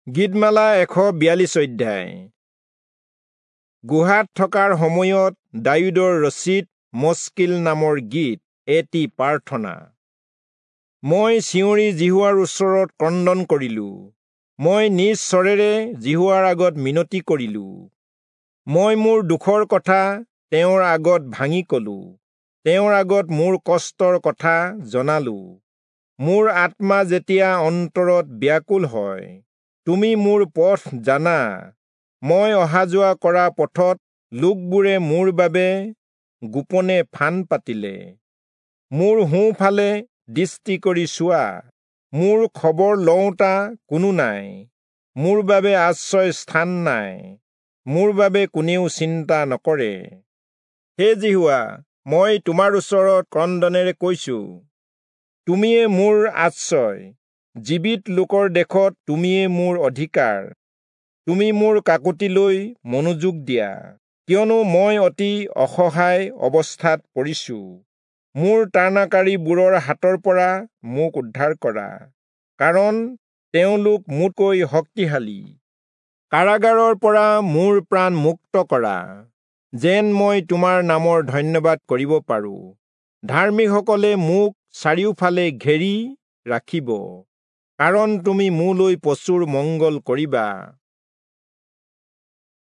গীতমালা 142 অধ্যায়। গুহাত থকাৰ সময়ত দায়ূদৰ ৰচিত মস্কিল নামৰ গীত, এটি প্ৰাৰ্থনা। মই চিঞৰি যিহোৱাৰ ওচৰত ক্ৰন্দন কৰিলো, মই নিজ স্বৰেৰে যিহোৱাৰ আগত মিনতি কৰিলো। মই মোৰ দুখৰ কথা তেওঁৰ আগত ভাঙি কলো, তেওঁৰ আগত মোৰ কষ্টৰ কথা জনালো। মোৰ আত্মা যেতিয়া অন্তৰত ব্যাকুল হয়, তুমি মোৰ পথ জানা। মই অহা যোৱা কৰা পথত লোকবোৰে মোৰ বাবে গোপনে ফান পাতিলে। মোৰ সোঁফালে দৃষ্টি কৰি চোৱা, মোৰ খবৰ লওঁতা কোনো নাই। মোৰ বাবে আশ্ৰয় স্থান নাই, মোৰ বাবে কোনেও চিন্তা নকৰে। হে যিহোৱা, মই তোমাৰ ওচৰত ক্ৰন্দনেৰে কৈছো, তুমিয়ে মোৰ আশ্ৰয়, জীৱিত লোকৰ দেশত তুমিয়ে মোৰ অধিকাৰ। তুমি মোৰ কাকুতিলৈ মনোযোগ দিয়া, কিয়নো মই অতি অসহায় অৱস্থাত পৰিছো। মোৰ তাড়নাকাৰীবোৰৰ হাতৰ পৰা মোক উদ্ধাৰ কৰা, কাৰণ তেওঁলোক মোতকৈ শক্তিশালী। কাৰাগাৰৰ পৰা মোৰ প্ৰাণ মুক্ত কৰা, যেন মই তোমাৰ নামৰ ধন্যবাদ কৰিব পাৰো। ধাৰ্মিকসকলে মোক চাৰিওফালে ঘেৰি ৰাখিব, কাৰণ তুমি মোলৈ প্ৰচুৰ মংগল কৰিবা।